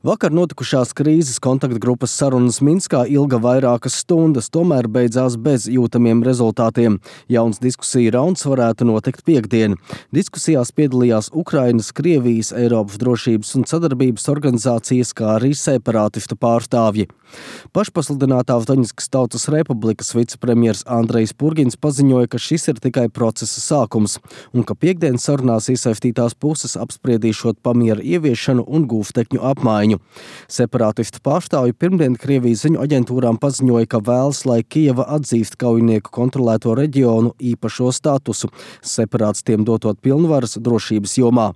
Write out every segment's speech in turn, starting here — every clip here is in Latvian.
Vakar notikušās krīzes kontaktgrupas sarunas Minskā ilga vairākas stundas, tomēr beidzās bez jūtamiem rezultātiem. Jauns diskusiju rauns varētu notikt piektdien. Diskusijās piedalījās Ukrainas, Krievijas, Eiropas drošības un sadarbības organizācijas, kā arī separātistu pārstāvji. Pašpasludinātā Doņetskas Tautas Republikas vicepremjers Andrejs Purgins paziņoja, ka šis ir tikai procesa sākums un ka piektdien sarunās iesaistītās puses apspriedīšot pamiera ieviešanu un gūstekņu apmaiņu. Separātistu pārstāvji pirmdien Krievijas ziņu aģentūrām paziņoja, ka vēlas, lai Kijeva atzīst kaujinieku kontrolēto reģionu īpašo statusu, separātistiem dotot pilnvaras drošības jomā.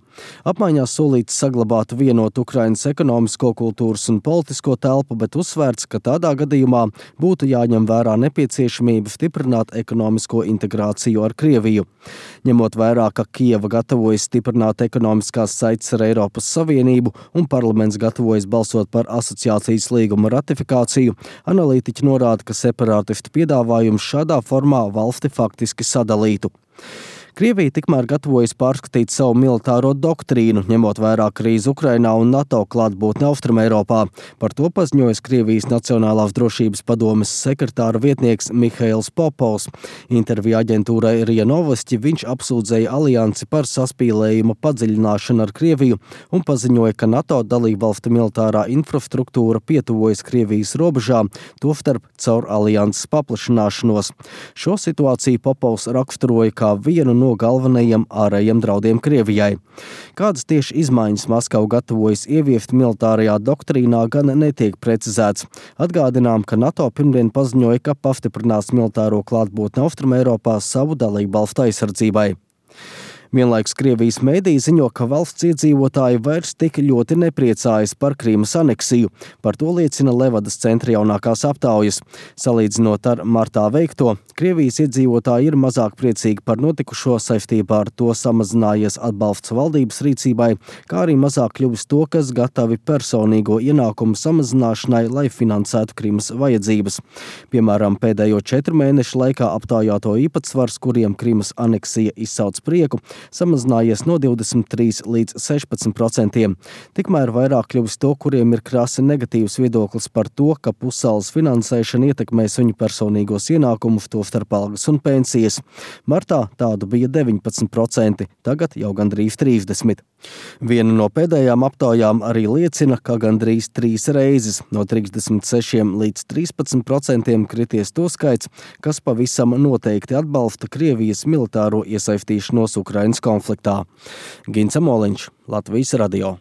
Apmaiņā solīts saglabāt vienotu Ukrainas ekonomisko, kultūras un politisko telpu, bet uzsvērts, ka tādā gadījumā būtu jāņem vērā nepieciešamība stiprināt ekonomisko integrāciju ar Krieviju. Ņemot vērā, ka Kijeva gatavojas stiprināt ekonomiskās saites ar Eiropas Savienību un parlaments gatavojas balsot par asociācijas līguma ratifikāciju, analītiķi norāda, ka separātistu piedāvājums šādā formā valsti faktiski sadalītu. Krievija tikmēr gatavojas pārskatīt savu militāro doktrīnu, ņemot vērā krīzi Ukrainā un NATO klātbūtni Austrumeiropā. Par to paziņojas Krievijas Nacionālās drošības padomes sekretāra vietnieks Mihails Popovs. Intervijā aģentūrai RIA Novosti viņš apsūdzēja aliansi par saspīlējuma padziļināšanu ar Krieviju un paziņoja, ka NATO dalībvalstu militārā infrastruktūra pietuvojas Krievijas robežām, tostarp caur alianses paplašināšanos. Šo situāciju Popovs raksturoja kā vienu no galvenajiem ārējiem draudiem Krievijai. Kādas tieši izmaiņas Maskava gatavojas ieviest militārajā doktrīnā, gan netiek precizēts. Atgādinām, ka NATO pirmdien paziņoja, ka pastiprinās militāro klātbūtni Austrumeiropā savu dalībvalstu aizsardzībai. Vienlaikus Krievijas mēdīji ziņo, ka valsts iedzīvotāji vairs tik ļoti nepriecājas par Krīmas aneksiju. Par to liecina Levadas centra jaunākās aptaujas. Salīdzinot ar martā veikto, Krievijas iedzīvotāji ir mazāk priecīgi par notikušo, saistībā ar to samazinājies atbalsts valdības rīcībai, kā arī mazāk kļuvis to, kas gatavi personīgo ienākumu samazināšanai, lai finansētu Krīmas vajadzības. Piemēram, pēdējo 4 mēnešu laikā aptaujāto īpatsvars, kuriem Krīmas aneksija izsauc prieku, samazinājies no 23 līdz 16%. Tikmēr vairāk kļuvis to, kuriem ir krasi negatīvs viedoklis par to, ka pussaules finansēšana ietekmēs viņu personīgos ienākumus, tostarp algas un pensijas. Martā tādu bija 19%, tagad jau gandrīz 30%. Viena no pēdējām aptaujām arī liecina, ka gandrīz 3 reizes no 36 līdz 13% krities to skaits, kas pavisam noteikti atbalsta Krievijas militāro iesaistīšanos Ukrainas konfliktā. Gins Amoliņš, Latvijas radio.